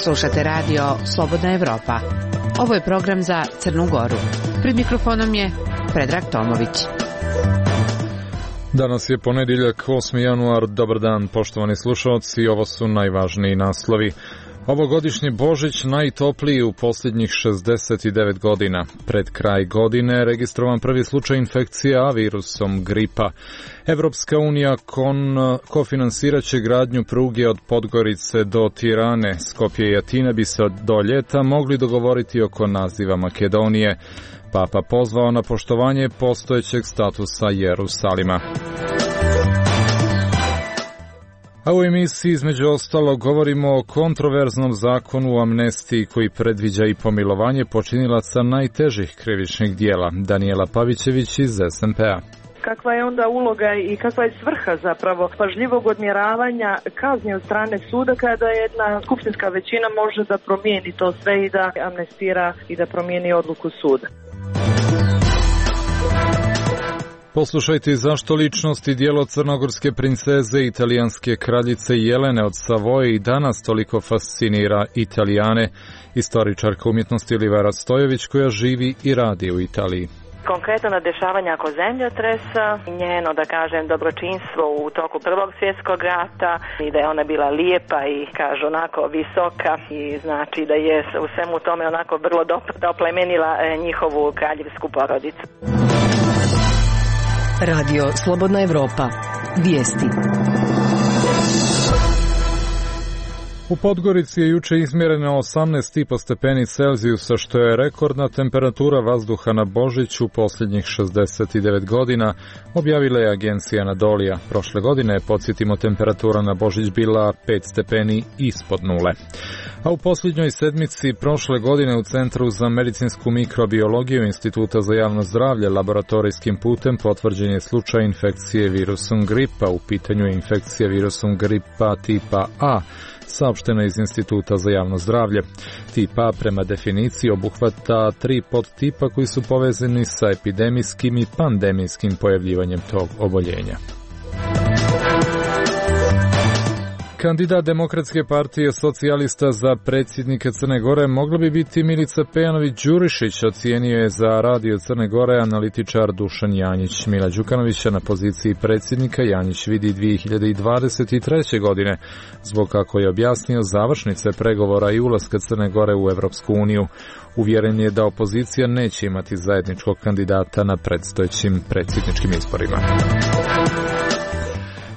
Slušate radio Slobodna Evropa. Ovo je program za Crnu Goru. Pred mikrofonom je Predrag Tomović. Danas je ponedjeljak, 8. januar. Dobar dan, poštovani slušalci. Ovo su najvažniji naslovi. Ovogodišnji Božić najtopliji u posljednjih 69 godina. Pred kraj godine registrovan prvi slučaj infekcije A virusom gripa. Evropska unija kofinansirat će gradnju pruge od Podgorice do Tirane. Skopje i Atina bi se do ljeta mogli dogovoriti oko naziva Makedonije. Papa pozvao na poštovanje postojećeg statusa Jerusalima. A u emisiji između ostalog govorimo o kontroverznom zakonu o amnestiji koji predviđa i pomilovanje počinilaca najtežih krivičnih dijela. Daniela Pavićević iz SMP-a. Kakva je onda uloga i kakva je svrha zapravo pažljivog odmjeravanja kazni od strane suda kada jedna skupštinska većina može da promijeni to sve i da amnestira i da promijeni odluku suda. Poslušajte zašto ličnost i djelo crnogorske princeze i italijanske kraljice Jelene od Savoje i danas toliko fascinira Italijane. Istoričarka umjetnosti Olivera Stojević koja živi i radi u Italiji. Konkretno na dešavanja oko zemljotresa, njeno, da kažem, dobročinstvo u toku Prvog svjetskog rata i da je ona bila lijepa i, kažu, onako visoka i znači da je u svemu tome onako vrlo oplemenila njihovu kraljevsku porodicu. Radio Slobodna Evropa. Vijesti. U Podgorici je juče izmjereno 18,5 stepeni Celzijusa, što je rekordna temperatura vazduha na Božić u posljednjih 69 godina, objavila je agencija Anadolija. Prošle godine, podsjetimo, temperatura na Božić bila 5 stepeni ispod nule. A u posljednjoj sedmici prošle godine u Centru za medicinsku mikrobiologiju Instituta za javno zdravlje laboratorijskim putem potvrđen je slučaj infekcije virusom gripa. U pitanju je infekcija virusom gripa tipa A, saopšteno iz Instituta za javno zdravlje. Tip A prema definiciji obuhvata 3 podtipa koji su povezani sa epidemijskim i pandemijskim pojavljivanjem tog oboljenja. Kandidat Demokratske partije socijalista za predsjednika Crne Gore mogla bi biti Milica Pejanović-Đurišić, ocijenio je za Radio Crne Gore analitičar Dušan Janjić. Mila Đukanovića na poziciji predsjednika Janjić vidi 2023. godine, zbog, kako je objasnio, završnice pregovora i ulaska Crne Gore u Evropsku uniju. Uvjeren je da opozicija neće imati zajedničkog kandidata na predstojećim predsjedničkim izborima.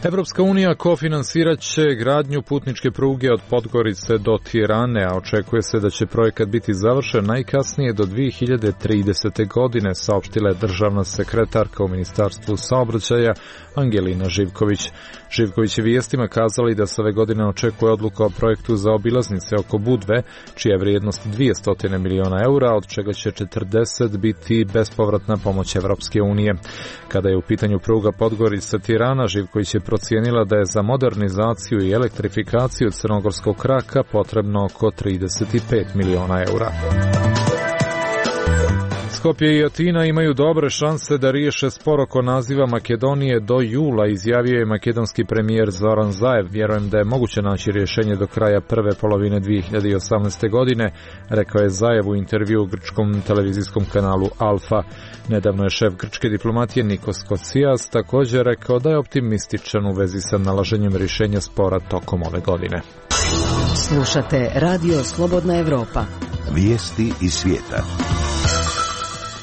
Evropska unija kofinansirat će gradnju putničke pruge od Podgorice do Tirane, a očekuje se da će projekat biti završen najkasnije do 2030. godine, saopštila je državna sekretarka u Ministarstvu saobraćaja Angelina Živković. Živković je vijestima kazali da se ove godine očekuje odluka o projektu za obilaznice oko Budve, čija je vrijednost 200 miliona eura, od čega će 40 biti bespovratna pomoć Evropske unije. Kada je u pitanju pruga Podgorica-Tirana, Živković je procijenila da je za modernizaciju i elektrifikaciju crnogorskog kraka potrebno oko 35 miliona eura. Skopje i Atina imaju dobre šanse da riješe spor oko naziva Makedonije do jula, izjavio je makedonski premijer Zoran Zaev. Vjerujem da je moguće naći rješenje do kraja prve polovine 2018. godine, rekao je Zaev u intervju u grčkom televizijskom kanalu Alfa. Nedavno je šef grčke diplomatije Nikos Kocias također rekao da je optimističan u vezi sa nalaženjem rješenja spora tokom ove godine. Slušate Radio Slobodna Evropa. Vijesti iz svijeta.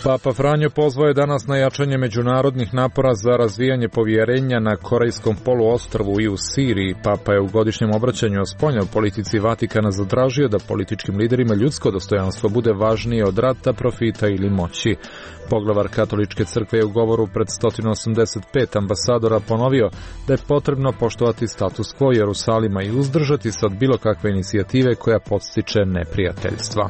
Papa Franjo pozvao je danas na jačanje međunarodnih napora za razvijanje povjerenja na Korejskom poluostrvu i u Siriji. Papa je u godišnjem obraćanju o spoljnoj politici Vatikana zatražio da političkim liderima ljudsko dostojanstvo bude važnije od rata, profita ili moći. Poglavar Katoličke crkve je u govoru pred 185 ambasadora ponovio da je potrebno poštovati status quo Jerusalima i uzdržati se od bilo kakve inicijative koja podstiče neprijateljstva.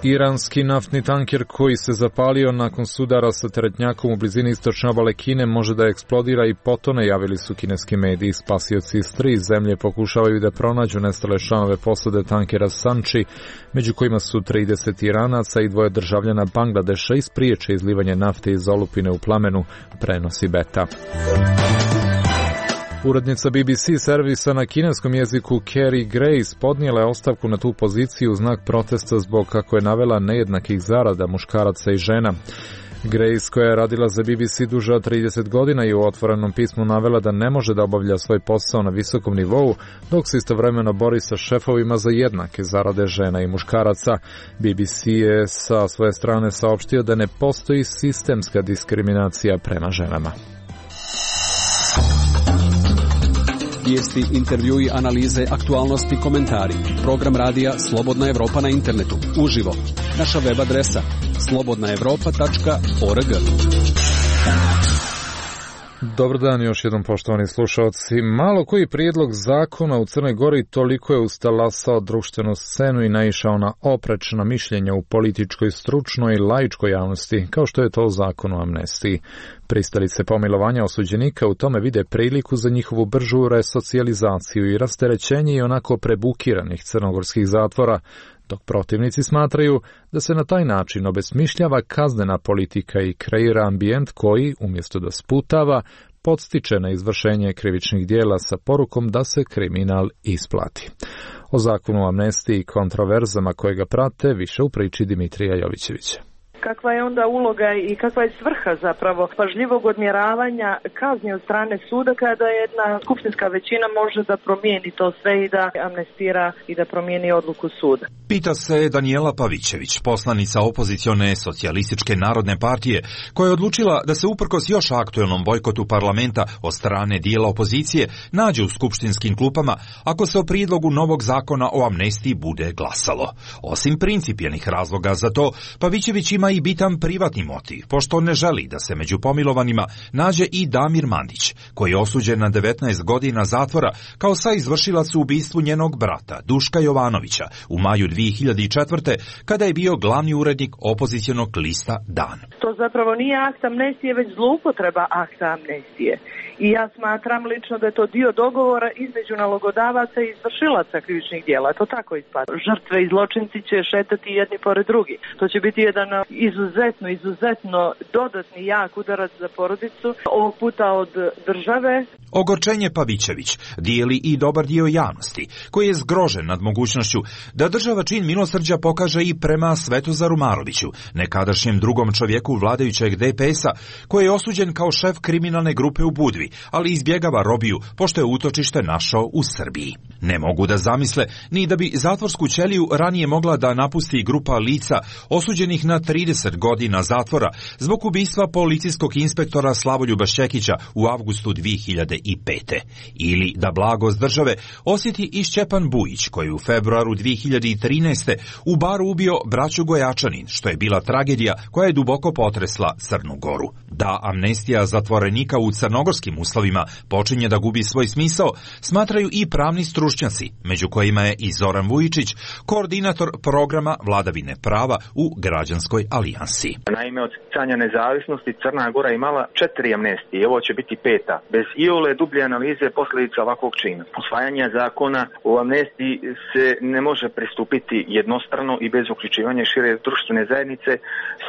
Iranski naftni tanker koji se zapalio nakon sudara sa teretnjakom u blizini istočne obale Kine može da eksplodira i potone, javili su kineski mediji. Spasioci iz 3 zemlje pokušavaju da pronađu nestale članove posade tankera Sanchi, među kojima su 30 Iranaca i 2 državljana Bangladeša, i spriječe izlivanje nafte iz olupine u plamenu, prenosi Beta. Urednica BBC servisa na kineskom jeziku Carrie Grace podnijela je ostavku na tu poziciju u znak protesta zbog, kako je navela, nejednakih zarada muškaraca i žena. Grace, koja je radila za BBC duže od 30 godina, i u otvorenom pismu navela da ne može da obavlja svoj posao na visokom nivou, dok se istovremeno bori sa šefovima za jednake zarade žena i muškaraca. BBC je sa svoje strane saopštio da ne postoji sistemska diskriminacija prema ženama. Vijesti, intervjui, analize, aktualnosti, komentari. Program radija Slobodna Evropa na internetu. Uživo. Naša web adresa slobodnaevropa.org. Dobar dan još jednom, poštovani slušalci. Malo koji prijedlog zakona u Crnoj Gori toliko je ustalasao društvenu scenu i naišao na oprečna mišljenja u političkoj, stručnoj i laičkoj javnosti, kao što je to u zakonu o amnestiji. Pristalice pomilovanja osuđenika u tome vide priliku za njihovu bržu resocijalizaciju i rasterećenje i onako prebukiranih crnogorskih zatvora, dok protivnici smatraju da se na taj način obesmišljava kaznena politika i kreira ambijent koji, umjesto da sputava, podstiče na izvršenje krivičnih dijela sa porukom da se kriminal isplati. O zakonu o amnestiji i kontroverzama koje ga prate više u priči Dimitrija Jovićevića. Kakva je onda uloga i kakva je svrha zapravo pažljivog odmjeravanja kazni od strane suda kada jedna skupštinska većina može da promijeni to sve i da amnestira i da promijeni odluku suda? Pita se Danijela Pavićević, poslanica opozicione socijalističke narodne partije, koja je odlučila da se uprkos još aktuelnom bojkotu parlamenta od strane dijela opozicije nađe u skupštinskim klupama ako se o prijedlogu novog zakona o amnestiji bude glasalo. Osim principijelnih razloga za to, Pavićević ima i bitan privatni motiv, pošto ne želi da se među pomilovanima nađe i Damir Mandić, koji je osuđen na 19 godina zatvora kao saizvršilac u ubistvu njenog brata, Duška Jovanovića, u maju 2004. kada je bio glavni urednik opozicionog lista Dan. To zapravo nije akt amnestije, već zloupotreba akta amnestije. I ja smatram lično da je to dio dogovora između nalogodavaca i izvršilaca krivičnih djela. To tako ispada. Žrtve i zločinci će šetati jedni pored drugi. To će biti jedan izuzetno dodatni jak udarac za porodicu, ovog puta od države. Ogorčenje Pavićević dijeli i dobar dio javnosti, koji je zgrožen nad mogućnošću da država čin milosrđa pokaže i prema Svetozaru Maroviću, nekadašnjem drugom čovjeku vladajućeg DPS-a, koji je osuđen kao šef kriminalne grupe u Budvi, ali izbjegava robiju pošto je utočište našao u Srbiji. Ne mogu da zamisle ni da bi zatvorsku ćeliju ranije mogla da napusti grupa lica osuđenih na 30 godina zatvora zbog ubistva policijskog inspektora Slavoljuba Šćekića u avgustu 2005. Ili da blagost države osjeti i Šćepan Bujić, koji je u februaru 2013. u baru ubio braću Gojačanin, što je bila tragedija koja je duboko potresla Crnu Goru. Da amnestija zatvorenika u crnogorskim uslovima počinje da gubi svoj smisao, smatraju i pravni stručnjaci, među kojima je i Zoran Vujičić, koordinator programa vladavine prava u Građanskoj alijansi. Naime, od stjecanja nezavisnosti Crna Gora imala 4 amnestije, ovo će biti 5. Bez iole dublje analize posljedica ovakvog čina. Usvajanje zakona o amnestiji se ne može pristupiti jednostrano i bez uključivanja šire društvene zajednice,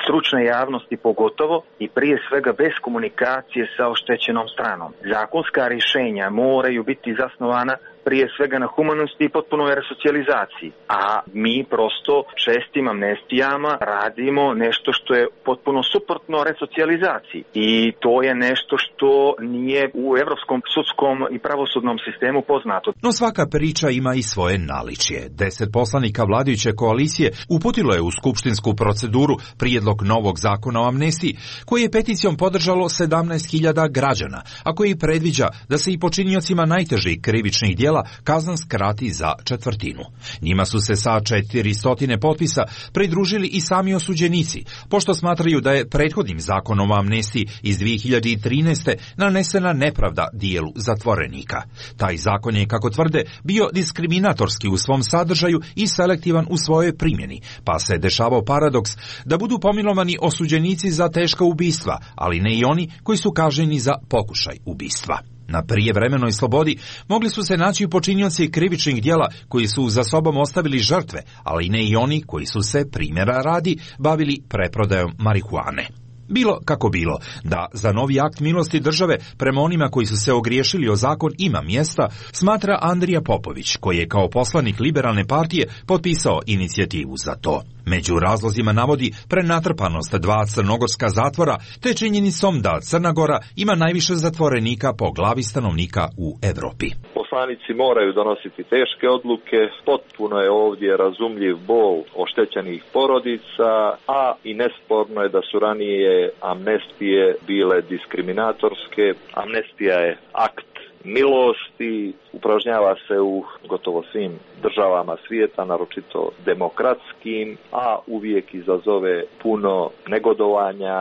stručne javnosti pogotovo i prije svega bez komunikacije sa oštećenom stranom. Zakonska rješenja moraju biti zasnovana prije svega na humanosti i potpunoj resocijalizaciji. A mi prosto čestim amnestijama radimo nešto što je potpuno suprotno resocijalizaciji. I to je nešto što nije u evropskom sudskom i pravosudnom sistemu poznato. No svaka priča ima i svoje naličje. 10 poslanika vladajuće koalicije uputilo je u skupštinsku proceduru prijedlog novog zakona o amnestiji, koji je peticijom podržalo 17.000 građana, a koji predviđa da se i počiniocima najtežih krivičnih djela kazna skrati za četvrtinu. Njima su se sa 400 potpisa pridružili i sami osuđenici, pošto smatraju da je prethodnim zakonom o amnestiji iz 2013. nanesena nepravda dijelu zatvorenika. Taj zakon je, kako tvrde, bio diskriminatorski u svom sadržaju i selektivan u svojoj primjeni, pa se dešavao paradoks da budu pomilovani osuđenici za teška ubistva, ali ne i oni koji su kažnjeni za pokušaj ubistva. Na prijevremenoj slobodi mogli su se naći počinioci krivičnih djela koji su za sobom ostavili žrtve, ali ne i oni koji su se, primjera radi, bavili preprodajom marihuane. Bilo kako bilo, da za novi akt milosti države prema onima koji su se ogriješili o zakon ima mjesta, smatra Andrija Popović, koji je kao poslanik Liberalne partije potpisao inicijativu za to. Među razlozima navodi prenatrpanost 2 crnogorska zatvora, te činjenicom da Crna Gora ima najviše zatvorenika po glavi stanovnika u Evropi. Poslanici moraju donositi teške odluke, potpuno je ovdje razumljiv bol oštećenih porodica, a i nesporno je da su ranije amnestije bile diskriminatorske. Amnestija je akt milosti, upražnjava se u gotovo svim državama svijeta, naročito demokratskim, a uvijek izazove puno negodovanja,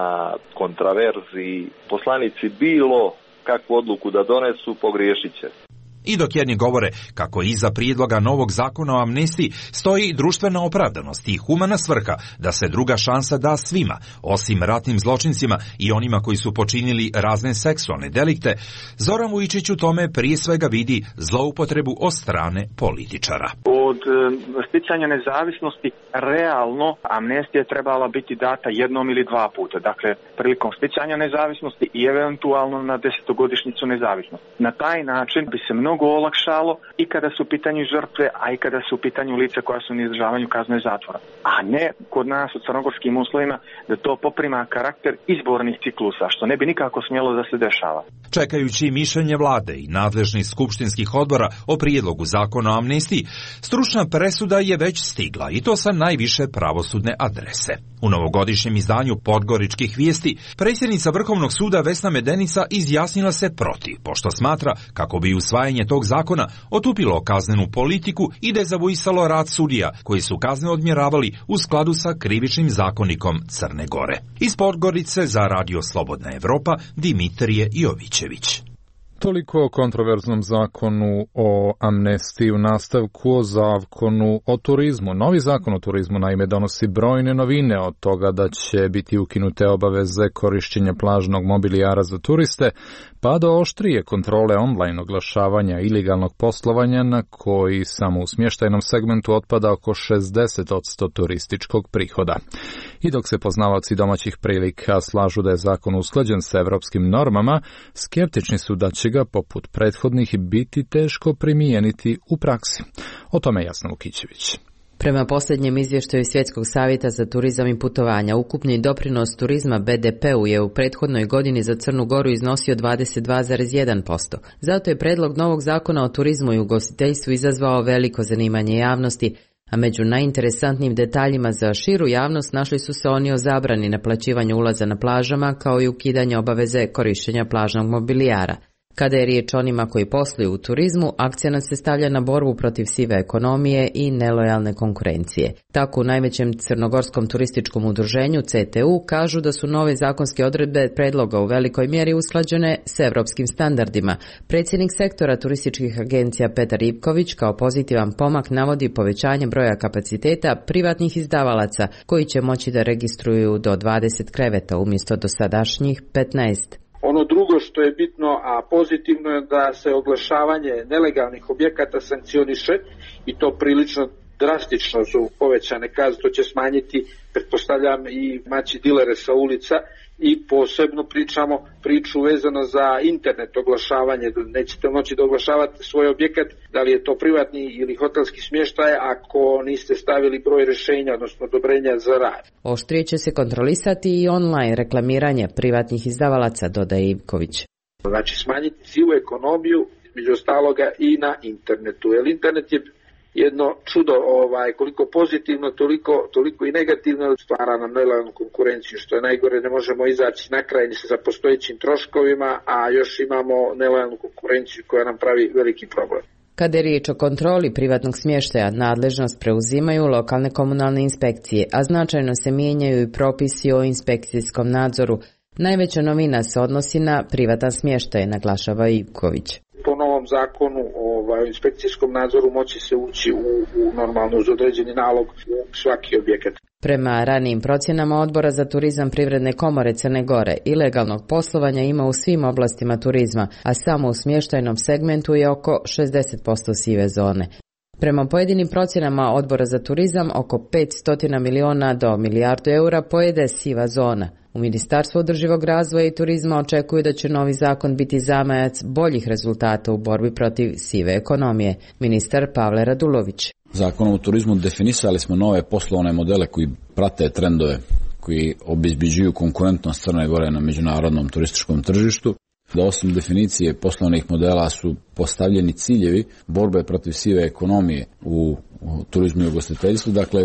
kontraverzi. Poslanici bilo kakvu odluku da donesu, pogriješit će. I dok jedni govore kako iza prijedloga novog zakona o amnestiji stoji društvena opravdanost i humana svrha da se druga šansa da svima, osim ratnim zločincima i onima koji su počinili razne seksualne delikte, Zoran Vujčić u tome prije svega vidi zloupotrebu od strane političara. Od sticanja nezavisnosti realno amnestija trebala biti data jednom ili 2 puta. Dakle, prilikom sticanja nezavisnosti i eventualno na 10-godišnjicu nezavisnosti. Na taj način bi se mnogo olakšalo i kada su u pitanju žrtve, a i kada su u pitanju lica koja su na izdržavanju kazne zatvora. A ne kod nas u crnogorskim uslovima da to poprima karakter izbornih ciklusa, što ne bi nikako smjelo da se dešava. Čekajući mišljenje vlade i nadležnih skupštinskih odbora o prijedlogu zakona o amnestiji, stručna presuda je već stigla i to sa najviše pravosudne adrese. U novogodišnjem izdanju Podgoričkih vijesti predsjednica Vrhovnog suda Vesna Medenica izjasnila se protiv, pošto smatra kako bi usvajanje tog zakona otupilo kaznenu politiku i dezavuisalo rad sudija koji su kazne odmjeravali u skladu sa krivičnim zakonikom Crne Gore. Iz Podgorice za Radio Slobodna Evropa Dimitrije Jovićević. Toliko o kontroverznom zakonu o amnestiji, u nastavku o zakonu o turizmu. Novi zakon o turizmu naime donosi brojne novine, od toga da će biti ukinute obaveze korišćenja plažnog mobilijara za turiste, pa do oštrije kontrole online oglašavanja ilegalnog poslovanja na koji samo u smještajnom segmentu otpada oko 60% turističkog prihoda. I dok se poznavaoci domaćih prilika slažu da je zakon usklađen sa evropskim normama, skeptični su da će ga poput prethodnih biti teško primijeniti u praksi. O tome Jasna Vukićević. Prema posljednjem izvještaju Svjetskog savjeta za turizam i putovanja, ukupni doprinos turizma BDP-u je u prethodnoj godini za Crnu Goru iznosio 22,1%. Zato je predlog novog zakona o turizmu i ugostiteljstvu izazvao veliko zanimanje javnosti, a među najinteresantnijim detaljima za širu javnost našli su se oni o zabrani naplaćivanja ulaza na plažama, kao i ukidanje obaveze korištenja plažnog mobilijara. Kada je riječ o onima koji posluju u turizmu, akcenat se stavlja na borbu protiv sive ekonomije i nelojalne konkurencije. Tako u najvećem crnogorskom turističkom udruženju CTU kažu da su nove zakonske odredbe predloga u velikoj mjeri usklađene s evropskim standardima. Predsjednik sektora turističkih agencija Petar Ivković kao pozitivan pomak navodi povećanje broja kapaciteta privatnih izdavalaca koji će moći da registruju do 20 kreveta umjesto dosadašnjih 15. Ono drugo što je bitno, a pozitivno je da se oglašavanje nelegalnih objekata sankcioniše i to prilično drastično su povećane kazne, to će smanjiti, pretpostavljam, i maći dilere sa ulica i posebno pričamo priču vezano za internet oglašavanje, nećete moći da oglašavate svoj objekat, da li je to privatni ili hotelski smještaj ako niste stavili broj rješenja, odnosno odobrenja za rad. Oštrije će se kontrolisati i online reklamiranje privatnih izdavalaca, dodaje Ivković. Znači smanjiti sivu ekonomiju, među ostaloga i na internetu, jer internet je jedno čudo, koliko pozitivno, toliko i negativno stvara nam nelojalnu konkurenciju, što je najgore, ne možemo izaći na kraj ni sa postojećim troškovima, a još imamo nelojalnu konkurenciju koja nam pravi veliki problem. Kada je riječ o kontroli privatnog smještaja, nadležnost preuzimaju lokalne komunalne inspekcije, a značajno se mijenjaju i propisi o inspekcijskom nadzoru. Najveća novina se odnosi na privatan smještaj, naglašava Ivković. Po novom zakonu o inspekcijskom nadzoru moći se ući u normalno uz određeni nalog u svaki objekat. Prema ranijim procjenama Odbora za turizam Privredne komore Crne Gore, ilegalnog poslovanja ima u svim oblastima turizma, a samo u smještajnom segmentu je oko 60% sive zone. Prema pojedinim procjenama Odbora za turizam, oko 500 miliona do milijardu eura pojede siva zona. U Ministarstvu održivog razvoja i turizma očekuju da će novi zakon biti zamajac boljih rezultata u borbi protiv sive ekonomije. Ministar Pavle Radulović. Zakonom o turizmu definisali smo nove poslovne modele koji prate trendove, koji obezbeđuju konkurentnost Crne Gore na međunarodnom turističkom tržištu, da osim definicije poslovnih modela su postavljeni ciljevi borbe protiv sive ekonomije u turizmu i ugostiteljstvu, dakle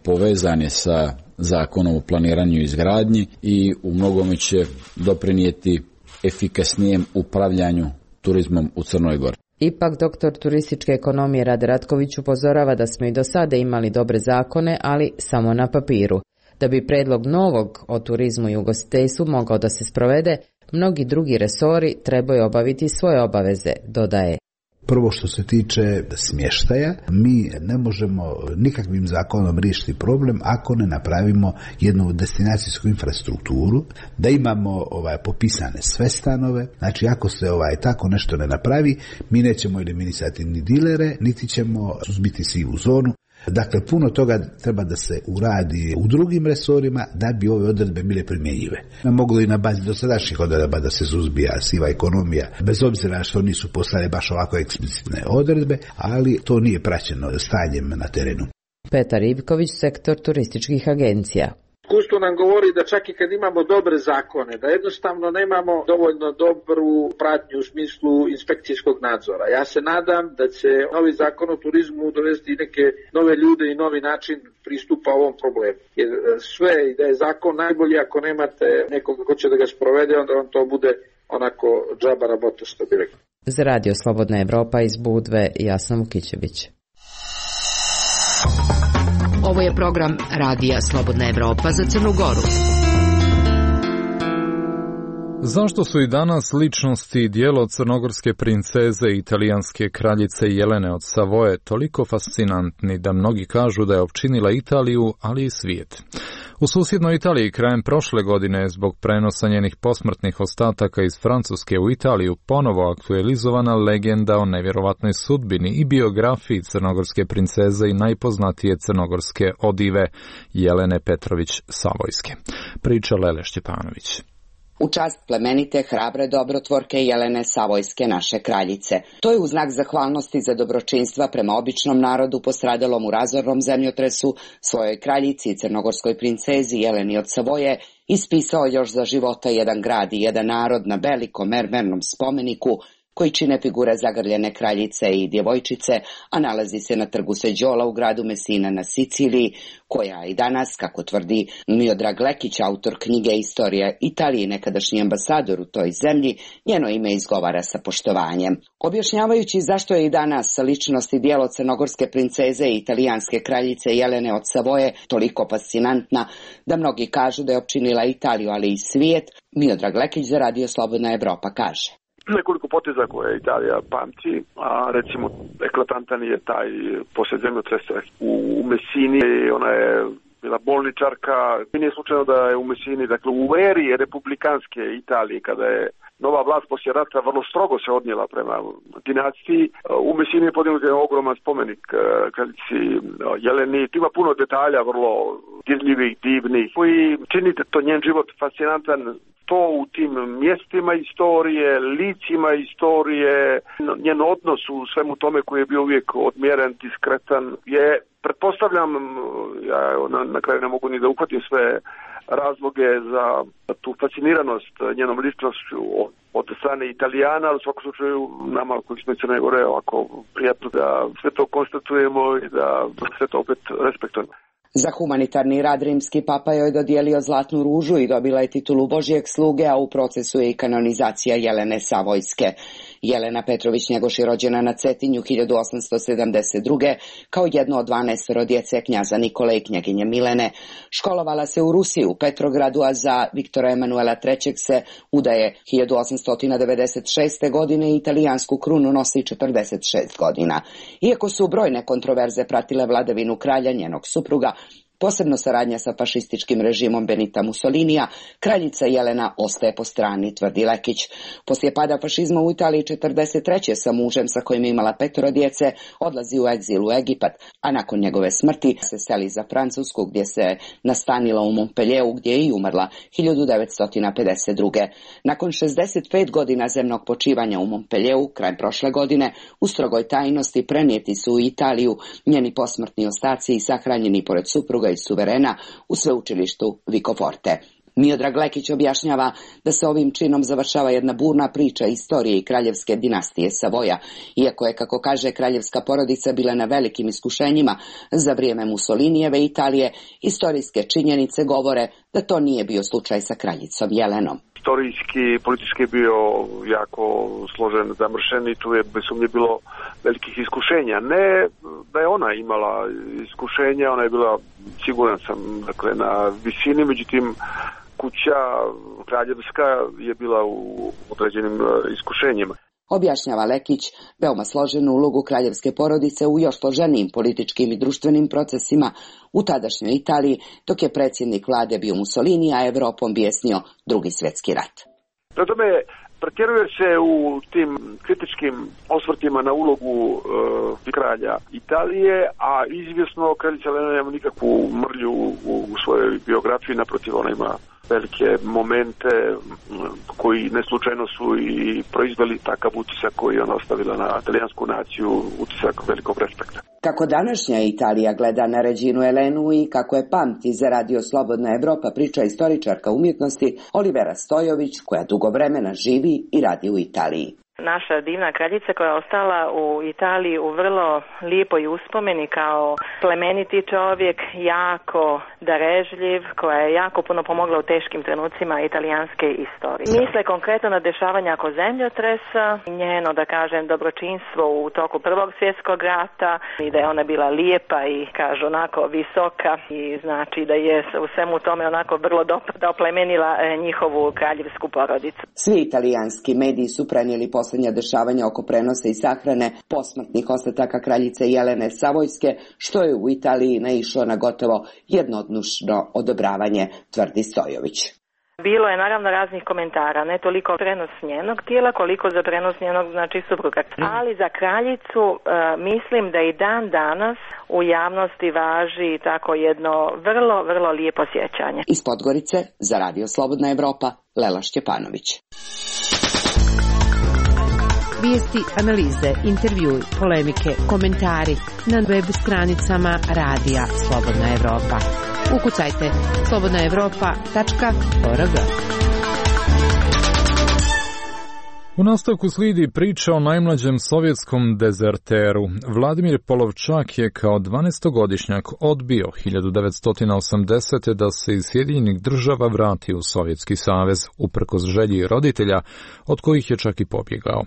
povezan je sa zakonom o planiranju i izgradnji i u mnogome će doprinijeti efikasnijem upravljanju turizmom u Crnoj Gori. Ipak doktor turističke ekonomije Rade Ratković upozorava da smo i do sada imali dobre zakone, ali samo na papiru. Da bi predlog novog o turizmu i ugostiteljstvu mogao da se sprovede, mnogi drugi resori trebaju obaviti svoje obaveze, dodaje. Prvo što se tiče smještaja, mi ne možemo nikakvim zakonom riješiti problem ako ne napravimo jednu destinacijsku infrastrukturu, da imamo popisane sve stanove. Znači ako se tako nešto ne napravi, mi nećemo eliminisati ni dilere, niti ćemo suzbiti sivu zonu. Dakle, puno toga treba da se uradi u drugim resorima da bi ove odredbe bile primjenjive. Moglo i na bazi dosadašnjih odredba da se suzbija siva ekonomija, bez obzira što nisu postale baš ovako eksplicitne odredbe, ali to nije praćeno stanjem na terenu. Petar Ivković, sektor turističkih agencija. Iskustvo nam govori da čak i kad imamo dobre zakone, da jednostavno nemamo dovoljno dobru pratnju u smislu inspekcijskog nadzora. Ja se nadam da će novi zakon o turizmu dovesti neke nove ljude i novi način pristupa ovom problemu. Jer sve da je zakon najbolji ako nemate nekoga ko će da ga sprovede, onda vam to bude onako džaba rabota, što bi rekao. Za Radio Slobodna Evropa iz Budve, Jasna Vukićević. Ovo je program Radija Slobodna Evropa za Crnu Goru. Zašto su i danas ličnosti i dijelo crnogorske princeze i italijanske kraljice Jelene od Savoje toliko fascinantni da mnogi kažu da je opčinila Italiju, ali i svijet? U susjednoj Italiji krajem prošle godine zbog prenosa njenih posmrtnih ostataka iz Francuske u Italiju ponovo aktualizovana legenda o nevjerovatnoj sudbini i biografiji crnogorske princeze i najpoznatije crnogorske odive Jelene Petrović Savojske. Priča Lele Šćepanović. U čast plemenite, hrabre dobrotvorke Jelene Savojske, naše kraljice. To je u znak zahvalnosti za dobročinstva prema običnom narodu postradalom u razornom zemljotresu svojoj kraljici i crnogorskoj princezi Jeleni od Savoje ispisao još za života jedan grad i jedan narod na velikom mermernom spomeniku koji čine figure zagrljene kraljice i djevojčice, a nalazi se na trgu Seđola u gradu Messina na Siciliji, koja i danas, kako tvrdi Miodrag Lekić, autor knjige Istorija Italije, nekadašnji ambasador u toj zemlji, njeno ime izgovara sa poštovanjem. Objašnjavajući zašto je i danas ličnost i djelo crnogorske princeze i italijanske kraljice Jelene od Savoje toliko fascinantna da mnogi kažu da je opčinila Italiju, ali i svijet, Miodrag Lekić za Radio Slobodna Evropa kaže. Nekoliko poteza koje Italija pamti, a recimo eklatantan je taj poslije zemljotresa u Messini, ona je bila bolničarka. Nije slučajno da je u Messini, dakle u eri republikanske Italije, kada je nova vlast poslije rata vrlo strogo se odnijela prema dinastiji. U Messini je podignut jedan ogroman spomenik kraljici Jeleni. Ima puno detalja, vrlo dirljivih, divnih, koji činite to njen život fascinantan. To u tim mjestima istorije, licima istorije, njen odnos u svemu tome koji je bio uvijek odmjeren, diskretan, je, pretpostavljam, ja na kraju ne mogu ni da uhvatim sve razloge za tu fasciniranost njenom ličnošću od strane Italijana, ali u svakom slučaju nama koji smo iz Crne Gore ovako prijatno da sve to konstatujemo i da sve to opet respektujemo. Za humanitarni rad rimski papa joj dodijelio zlatnu ružu i dobila je titulu Božjeg sluge, a u procesu je i kanonizacija Jelene Savojske. Jelena Petrović Njegoš je rođena na Cetinju 1872. kao jedno od 12 djece knjaza Nikole i knjeginje Milene. Školovala se u Rusiji, u Petrogradu, a za Viktora Emanuela III. Se udaje 1896. godine i italijansku krunu nosi 46 godina. Iako su brojne kontroverze pratile vladavinu kralja, njenog supruga, posebno saradnja sa fašističkim režimom Benita Mussolinija, kraljica Jelena ostaje po strani, tvrdi Lekić. Poslije pada fašizma u Italiji 43. sa mužem sa kojim je imala 5 djece odlazi u egzil u Egipat, a nakon njegove smrti se seli za Francusku gdje se nastanila u Montpellieru gdje je i umrla 1952. Nakon 65 godina zemnog počivanja u Montpellieru, krajem prošle godine, u strogoj tajnosti prenijeti su u Italiju njeni posmrtni ostaci i sahranjeni pored supruga i suverena u sveučilištu Vicoforte. Miodrag Lekić objašnjava da se ovim činom završava jedna burna priča istorije i kraljevske dinastije Savoja, iako je, kako kaže, kraljevska porodica bila na velikim iskušenjima za vrijeme Mussolinijeve Italije, historijske činjenice govore da to nije bio slučaj sa kraljicom Jelenom. Istorijski, politički je bio jako složen, zamršen i tu je bez sumnje bilo velikih iskušenja. Ne da je ona imala iskušenja, ona je bila, siguran sam, dakle, na visini, međutim kuća kraljevska je bila u određenim iskušenjima. Objašnjava Lekić veoma složenu ulogu kraljevske porodice u još složenijim političkim i društvenim procesima u tadašnjoj Italiji, dok je predsjednik vlade bio Mussolini, a Evropom bijesnio Drugi svjetski rat. Prema tome, pretjeruje se u tim kritičkim osvrtima na ulogu kralja Italije, a izvjesno kraljica Jelena nema nikakvu mrlju u svojoj biografiji, naprotiv, ona ima velike momente koji neslučajno su i proizveli takav utisak koji je ona ostavila na talijansku naciju, utisak velikog respekta. Kako današnja Italija gleda na Reginu Jelenu i kako je pamti za Radio Slobodna Evropa, priča istoričarka umjetnosti Olivera Stojović, koja dugo vremena živi i radi u Italiji. Naša divna kraljica koja je ostala u Italiji u vrlo lijepoj uspomeni kao plemeniti čovjek, jako darežljiv, koja je jako puno pomogla u teškim trenucima italijanske istorije. Misle konkretno na dešavanja oko zemljotresa, njeno, da kažem, dobročinstvo u toku Prvog svjetskog rata i da je ona bila lijepa i, kažu, onako visoka i znači da je u svemu tome onako vrlo dobro oplemenila njihovu kraljevsku porodicu. Svi italijanski mediji su prenijeli posljednja dešavanja oko prenosa i sahrane posmrtnih ostataka kraljice Jelene Savojske, što je u Italiji naišlo na gotovo jednodušno odobravanje, tvrdi Stojović. Bilo je naravno raznih komentara, ne toliko prenos njenog tijela koliko za prenos njenog, znači, supruga. Ali za kraljicu mislim da i dan danas u javnosti važi tako jedno vrlo, vrlo lijepo sjećanje. Iz Podgorice za Radio Slobodna Evropa, Lela Šćepanović. Vijesti, analize, intervjui, polemike, komentari na web stranicama Radija Slobodna Evropa. Ukucajte slobodnaevropa.org. U nastavku slijedi priča o najmlađem sovjetskom dezerteru. Vladimir Polovčak je kao 12-godišnjak odbio 1980. da se iz Sjedinjenih Država vrati u Sovjetski savez, uprkos želji roditelja, od kojih je čak i pobjegao.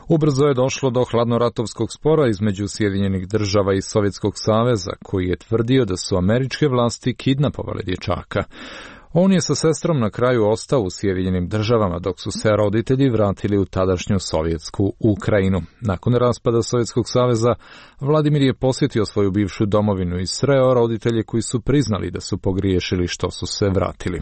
Ubrzo je došlo do hladnoratovskog spora između Sjedinjenih Država i Sovjetskog saveza, koji je tvrdio da su američke vlasti kidnapovale dječaka. On je sa sestrom na kraju ostao u Sjedinjenim Državama, dok su se roditelji vratili u tadašnju sovjetsku Ukrajinu. Nakon raspada Sovjetskog saveza, Vladimir je posjetio svoju bivšu domovinu i sreo roditelje koji su priznali da su pogriješili što su se vratili.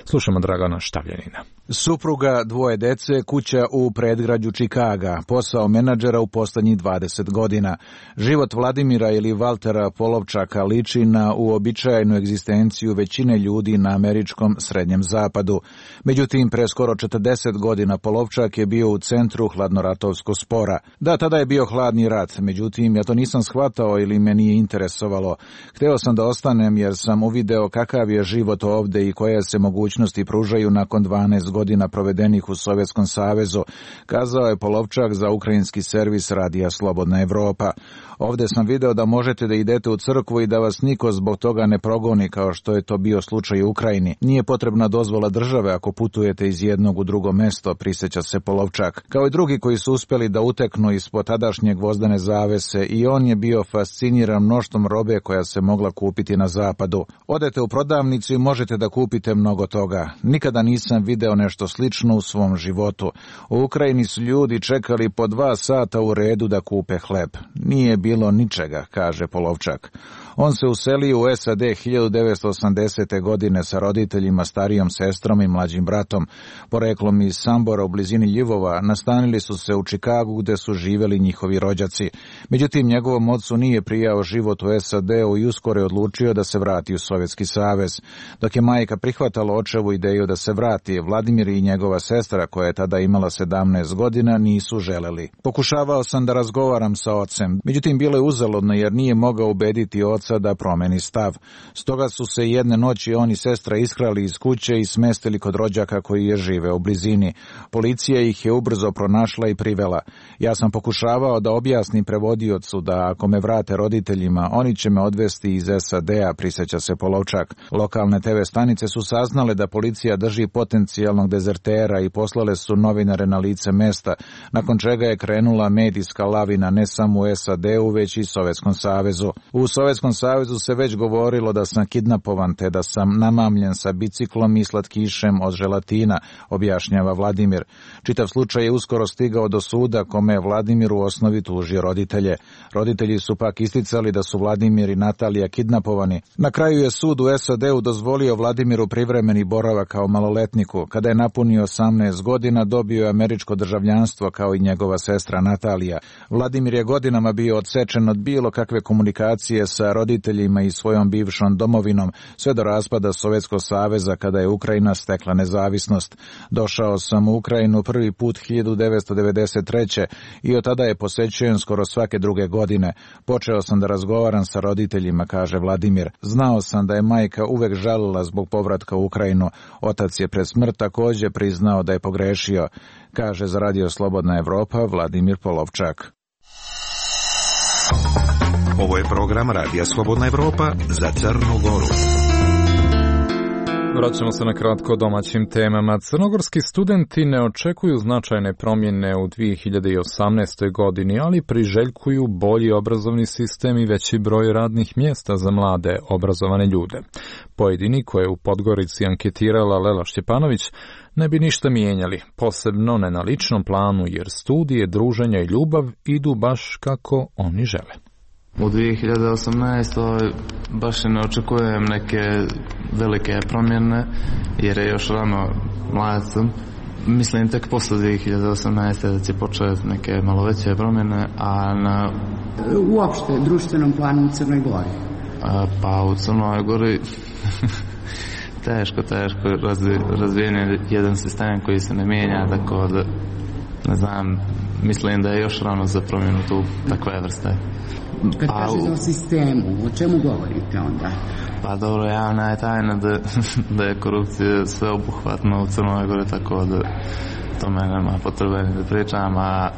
Slušamo Dragana Štavljanina. Supruga, 2 dece, kuća u predgrađu Čikaga, posao menadžera u posljednjih 20 godina. Život Vladimira ili Valtera Polovčaka liči na uobičajenu egzistenciju većine ljudi na američkom srednjem zapadu. Međutim, pre skoro 40 godina Polovčak je bio u centru hladnoratovskog spora. Da, tada je bio hladni rat, međutim, ja to nisam shvatao ili me nije interesovalo. Hteo sam da ostanem jer sam uvideo kakav je život ovde i koje se mogućnosti pružaju nakon 12 godina provedenih u Sovjetskom savezu, kazao je Polovčak za ukrajinski servis Radija Slobodna Evropa. Ovde sam video da možete da idete u crkvu i da vas niko zbog toga ne progoni kao što je to bio slučaj u Ukrajini. Nije potrebna dozvola države ako putujete iz jednog u drugo mesto, prisjeća se Polovčak. Kao i drugi koji su uspjeli da uteknu ispod tadašnje gvozdene zavese, i on je bio fasciniran mnoštvom robe koja se mogla kupiti na zapadu. Odete u prodavnicu i možete da kupite mnogo toga. Nikada nisam video nešto slično u svom životu. U Ukrajini su ljudi čekali po 2 sata u redu da kupe hleb. Nije bilo ničega, kaže Polovčak. On se uselio u SAD 1980. godine sa roditeljima, starijom sestrom i mlađim bratom. Poreklom iz Sambora u blizini Ljubova, nastanili su se u Čikagu gde su živjeli njihovi rođaci. Međutim, njegovom ocu nije prijao život u SAD-u i uskoro je odlučio da se vrati u Sovjetski savez. Dok je majka prihvatala očevu ideju da se vrati, Vladimir i njegova sestra, koja je tada imala 17 godina, nisu želeli. Pokušavao sam da razgovaram sa ocem, međutim bilo je uzaludno jer nije mogao ubediti oca da promeni stav. Stoga su se jedne noći on i sestra iskrali iz kuće i smestili kod rođaka koji je živeo u blizini. Policija ih je ubrzo pronašla i privela. Ja sam pokušavao da objasnim prevodiocu da ako me vrate roditeljima, oni će me odvesti iz SAD-a, prisjeća se Polovčak. Lokalne TV stanice su saznale da policija drži potencijalnog dezertera i poslale su novinare na lice mesta, nakon čega je krenula medijska lavina ne samo u SAD-u, već i Sovjetskom savezu. U Sovjetskom savezu se već govorilo da sam kidnapovan te da sam namamljen sa biciklom i slatkišem od želatina, objašnjava Vladimir. Čitav slučaj je uskoro stigao do suda kome je Vladimir u osnovi tužio roditelje. Roditelji su pak isticali da su Vladimir i Natalija kidnapovani. Na kraju je sud u SAD-u dozvolio Vladimiru privremeni boravak kao maloletniku. Kada je napunio 18 godina, dobio je američko državljanstvo kao i njegova sestra Natalija. Vladimir je godinama bio odsečen od bilo kakve komunikacije sa roditeljima i svojom bivšom domovinom, sve do raspada Sovjetskog saveza kada je Ukrajina stekla nezavisnost. Došao sam u Ukrajinu prvi put 1993. i od tada je posećujem skoro svake druge godine. Počeo sam da razgovaram sa roditeljima, kaže Vladimir. Znao sam da je majka uvek žalila zbog povratka u Ukrajinu. Otac je pred smrt također priznao da je pogrešio, kaže za Radio Slobodna Evropa Vladimir Polovčak. Ovo je program Radija Slobodna Evropa za Crnu Goru. Vraćamo se na kratko domaćim temama. Crnogorski studenti ne očekuju značajne promjene u 2018. godini, ali priželjkuju bolji obrazovni sistem i veći broj radnih mjesta za mlade obrazovane ljude. Pojedini koje u Podgorici anketirala Lela Šćepanović ne bi ništa mijenjali, posebno ne na ličnom planu, jer studije, druženja i ljubav idu baš kako oni žele. U 2018. baš ne očekujem neke velike promjene, jer je još rano, mlad sam. Mislim tek posle 2018. da će početi neke malo veće promjene, a na... Uopšte, društvenom planu u Crnoj Gori? Pa u Crnoj Gori teško razvijen je jedan sistem koji se ne mijenja, tako da, ne znam, mislim da je još rano za promjenu tu takve vrste. Kad kažete o sistemu, o čemu govorite onda? Pa dobro, javna je tajna da je korupcija sveobuhvatna u Crnoj Gori, tako da to me nema potrebe da pričam, a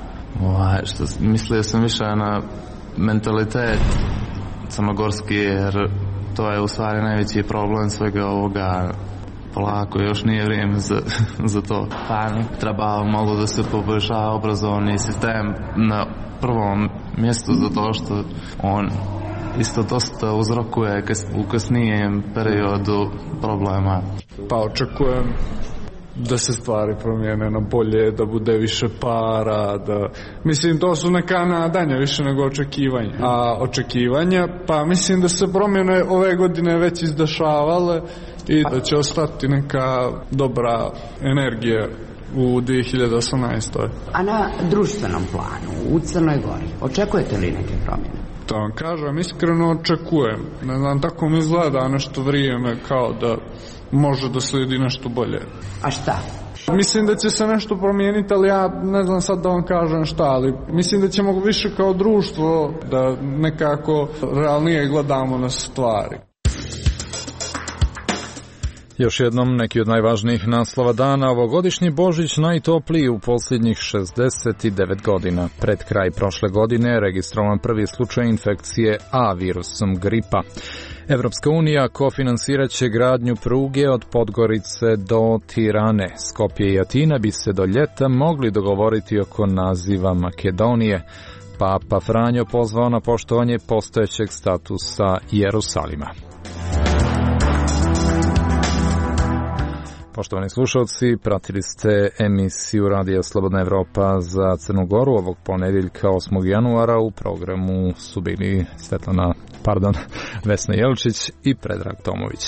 mislio sam više na mentalitet crnogorski, jer to je u stvari najveći problem svega ovoga. Polako, još nije vrijeme za to. Pa treba malo da se poboljša obrazovni sistem na prvom mjestu, zato što on isto dosta uzrokuje u kasnijem periodu problema. Pa očekujem da se stvari promijene na bolje, da bude više para, da... Mislim, to su neka nadanja više nego očekivanja. A očekivanja, pa mislim da se promjene ove godine već izdešavale i da će ostati neka dobra energija u 2018. A na društvenom planu, u Crnoj Gori, očekujete li neke promjene? To vam kažem, iskreno očekujem. Ne znam, tako mi izgleda nešto vrijeme kao da može da slijedi nešto bolje. A šta? Mislim da će se nešto promijeniti, ali ja ne znam sad da vam kažem šta, ali mislim da ćemo više kao društvo da nekako realnije gledamo na stvari. Još jednom neki od najvažnijih naslova dana. Ovogodišnji Božić najtopliji u posljednjih 69 godina. Pred kraj prošle godine je registrovan prvi slučaj infekcije A virusom gripa. Evropska unija kofinansirat će gradnju pruge od Podgorice do Tirane. Skopje i Atina bi se do ljeta mogli dogovoriti oko naziva Makedonije. Papa Franjo pozvao na poštovanje postojećeg statusa Jerusalima. Poštovani slušalci, pratili ste emisiju Radija Slobodna Evropa za Crnu Goru ovog ponedjeljka 8. januara. U programu su bili Vesna Jelčić i Predrag Tomović.